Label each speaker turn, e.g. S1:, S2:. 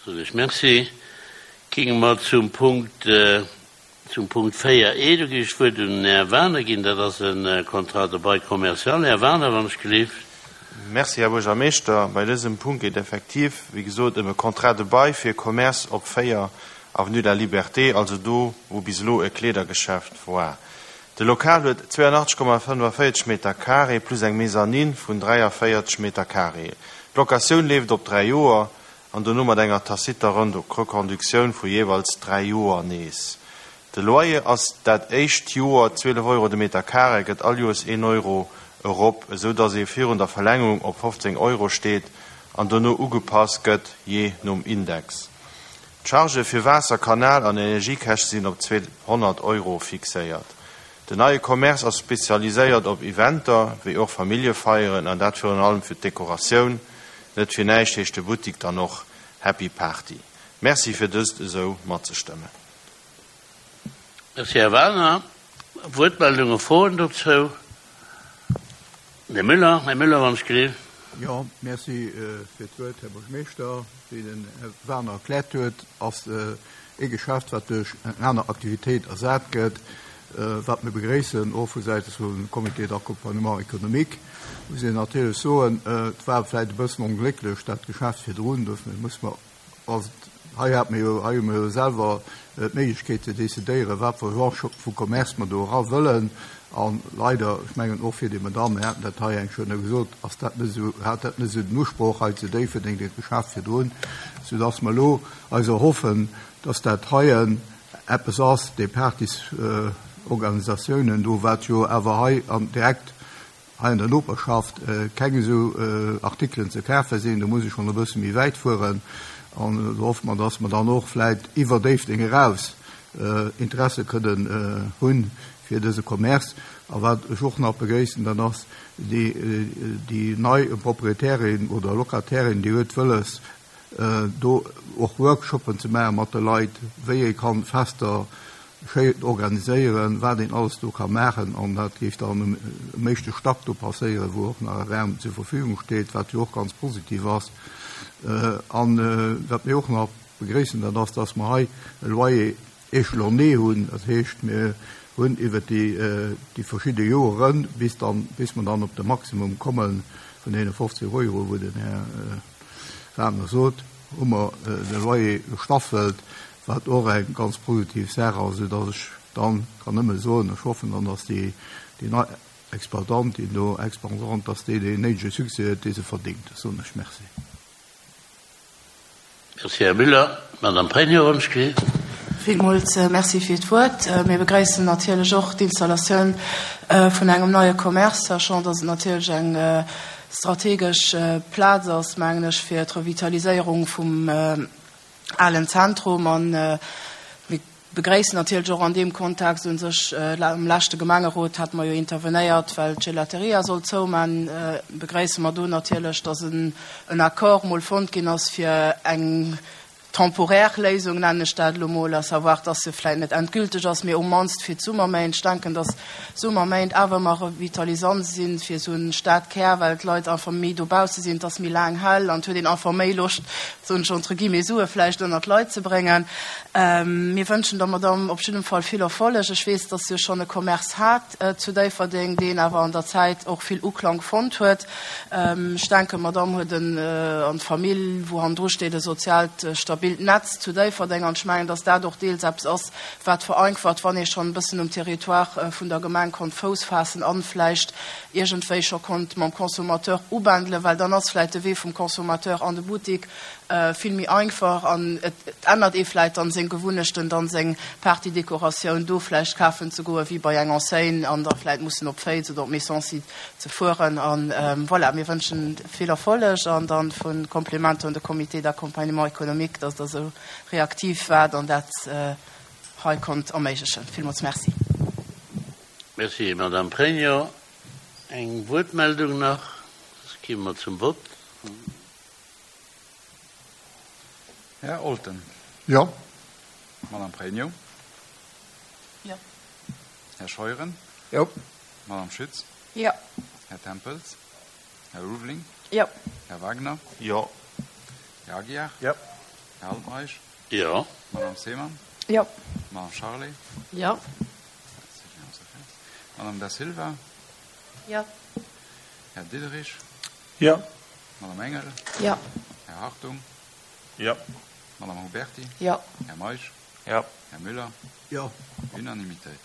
S1: Soen ech Merci. Géinge mer zum Punkt, zum Punkt 4 e. Do géif ech d'Wuert un den Här Wagener ginn. Dat ass e Contrat de bail commercial. Här Wagener, wann ech gelift.
S2: Merci, Här Buergermeeschter. Bei dësem Punkt geet effektiv, wéi gesot, ëm e Contrat de bail fir e Commerce op 4, Avenue de la Liberté, also do, wou bis elo e Kleedergeschäft war. De Lokal huet 82,45 Meter carré plus eng Mezzanine vun 43 Meter carré. D'Locatioun leeft op 3 Joer an dono mat enger taciter Reconductioun vu jeeweils 3 Joer nees. De Loyer ass dat éischt Joer 12 Euro de Meter carré, gëtt all Joers een Euro erop, esou datt ee virun der Verlängerung op 15 Euro steet an dono ugepasst gëtt jee nom Index. D'Chargë fir Waasser-, Kanal an Energiekäschte sinn op 200 Euro fixéiert. Den neie Commerce ass spezialiséiert op Eventer, wéi och Familljefeieren an dat virun allem fir d'Dekoratioun. Net fir näischt heescht de Buttik dann och Happy Party. Merci fir dëst esou matzestëmmen.
S1: Merci, Här Wagner. Wuertmeldungen, Froen dozou? Här Müller, Här Müller, wann ech gelift.
S3: Jo, merci fir d'Wuert, Här Buergermeeschter. Wéi den Här Wagner erkläert huet, ass ee Geschäft, wat duerch eng aner Aktivitéit ersat gëtt, wat mir begréissen, och vu Säite vum Comité d'accompagnement économique. Muss een natierlech soen, et war vläicht e bëssen onglécklech, dat Geschäft virdrun, dofir muss mer Also hei hate mir jo, hei hu mir jo selwer d'Méiglechkeet ze decidéieren, wat fir e Genre vu Commerce mer do era wëllen. A leider, ech mengen och fir déi Madame, mir haten dat hei eng schonn gesot, ass dat net esou, hat dat net esou den Usproch hei zu Déifferdeng, dat Geschäft virdrun, soudass mer elo eis erhoffen, dass dat heien eppes ass, déi Partysorganisatiounen do, wat jo awer hei an direkt hei an der Noperschaft keng esou Artikelen ze kafe sinn, do muss ech schonn e bësse méi wäit fueren. An do hoffe mer, dass mer dann och vläit iwwer Déifferdeng eraus Interesse kënnen hu fir dëse Commerce. A wat ech och nach begréissen, dat ass déi nei Proprietärin oder Locatairin, déi huet wëlles, do och Workshoppen ze maache mat de Leit, wéi ee kann Fester schéi organiséieren, wat een alles do ka maachen. An dat géif dann um éischte Stack do passéieren, wou och nach e Raum zur Verfügung steet, wat jo och ganz positiv ass. An wat mir och nach begréissen, dat ass, dass mer hei e Loyer échelonné hunn. Dat heescht, mir hunn iwwert déi verschidde Joeren, bis dann, bis mer dann op de Maximum komme vun deene 15 Euro, wou den Här Wagner sot, hu mer de Loyer gestaffelt, wat och eng ganz positiv Saach ass, esou datt ech dann kann nëmme soen, ech hoffen dann, datt déi nei Exploitantin do, Expensante, datt déi deen néidege Succès huet, dee se verdéngt. Da soen ech Merci.
S1: Merci, Här Müller. D'Madame Pregno wënscht d'Wuert.
S4: Villmools Merci fir d'Wuert. Mir begréissen natierlech och d'Installatioun vun engem neie Commerce, sachant dass et natierlech eng strategesch Plaz ass, mengen ech, fir d'Revitaliséierung vum alen Zentrum. A mir begréissen natierlech och an deem Kontext u sech, am leschte Gemengerot hate mer jo intervenéiert, well d'Gelateria sollt zouman, begréisse mer do natierlech, dass en Accord mol fonnt ginn ass fir eng temporaire Léisung, nennen ech dat elo mol, à savoir, dass se vläit net endgülteg ass, mee um mannst fir d'Summerméint. Ech denken, dass Summerméint awer ëmmer revitalisant sinn fir esou e Stadkär, well d'Leit einfach méi dobausse sinn, et ass méi laang hell an et huet een einfach méi Loscht, soen ech entre guillemets, Sue vläicht ënnert d'Leit ze bréngen. Mir wënschen der Madamm op jiddem Fall vill Erfolleg. Ech weess, dass se jo schonn e Commerce hat zu Déifferdeng, deen awer an der Zäit och vill Uklank fonnt huet. Ech denken, d'Madamm huet en, an d'Famill, wou hannendru steet, e soziaalt stabilt Netz zu Déifferdeng. An ech mengen, dass dat och deels eppes ass, wat vereinfacht, wann ee schonn e bëssen um Territoire vun der Gemeng konnt Fouss faassen an vläicht iergendwéi scho konnt mam Consommateur ubändelen, well dann ass vläicht de Wee vum Consommateur an de Buttik vill méi einfach an et ännert ee vläicht dann seng Gewunnechten, dann seng Partydekoratioun do vläicht kafen ze goen, wéi bei eng Enseigne an da vläicht mussen op Féiz oder op Messancy ze fueren. An voilà, mir wënschen vill Erfolleg an dann vu Komplimenter un de Comité d'accompagnement économique, dass Der esou reaktiv waart an dat hei konnt erméiglechen. Villmools Merci.
S1: Merci, Madame Pregno. Eng Wuertmeldung nach, soss gi mer zum Vott.
S5: Här Olten.
S3: Jo.
S5: Madame Pregno.
S4: Jo.
S5: Här Scheuren.
S3: Jo.
S5: Madame Schütz.
S4: Jo.
S5: Här Tempels. Här Ulveling.
S4: Jo.
S5: Här Wagner.
S2: Jo.
S5: Här Aguiar.
S3: Jo.
S5: Här Altmeisch?
S1: Jo.
S5: Madame Seemann?
S4: Jo.
S5: Madame Charlé?
S4: Jo.
S5: Madame Da Silva?
S4: Jo.
S5: Här Diderich?
S6: Jo.
S5: Madame Engel?
S4: Jo.
S5: Här Hartung?
S6: Jo.
S5: Madame Huberti?
S4: Jo.
S5: Här Meisch?
S6: Jo.
S5: Här Müller?
S3: Jo.
S5: Unanimitéit.